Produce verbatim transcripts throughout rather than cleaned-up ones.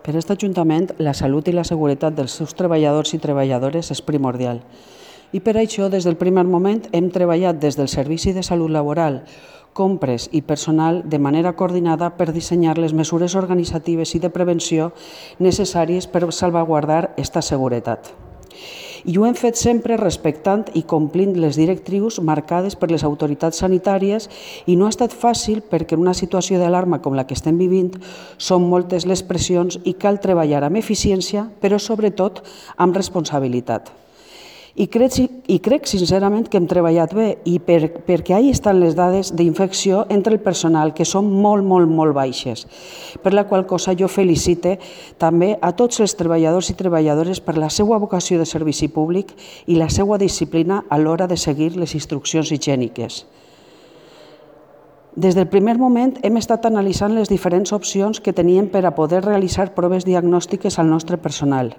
Per a aquest Ajuntament, la salut i la seguretat dels seus treballadors i treballadores és primordial. I per això, des del primer moment, hem treballat des del Servici de Salut Laboral, compres i personal de manera coordinada per dissenyar les mesures organitzatives i de prevenció necessàries per salvaguardar aquesta seguretat. I ho hem fet sempre respectant i complint les directrius marcades per les autoritats sanitàries i no ha estat fàcil perquè en una situació d'alarma com la que estem vivint són moltes les pressions i cal treballar amb eficiència, però sobretot amb responsabilitat. I crec, i crec sincerament que hem treballat bé i per, perquè ahí estan les dades d'infecció entre el personal, que són molt, molt, molt baixes, per la qual cosa jo felicite també a tots els treballadors i treballadores per la seva vocació de servici públic i la seva disciplina a l'hora de seguir les instruccions higièniques. Des del primer moment hem estat analitzant les diferents opcions que teníem per a poder realitzar proves diagnòstiques al nostre personal.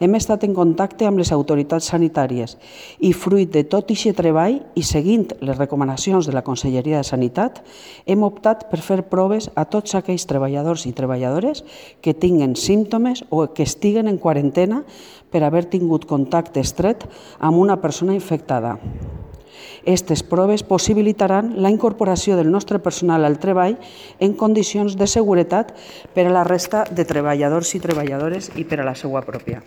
Hem estat en contacte amb les autoritats sanitàries i, fruit de tot aquest treball i seguint les recomanacions de la Conselleria de Sanitat, hem optat per fer proves a tots aquells treballadors i treballadores que tinguen símptomes o que estiguen en quarantena per haver tingut contacte estret amb una persona infectada. Aquestes proves possibilitaran la incorporació del nostre personal al treball en condicions de seguretat per a la resta de treballadors i treballadores i per a la seva pròpia.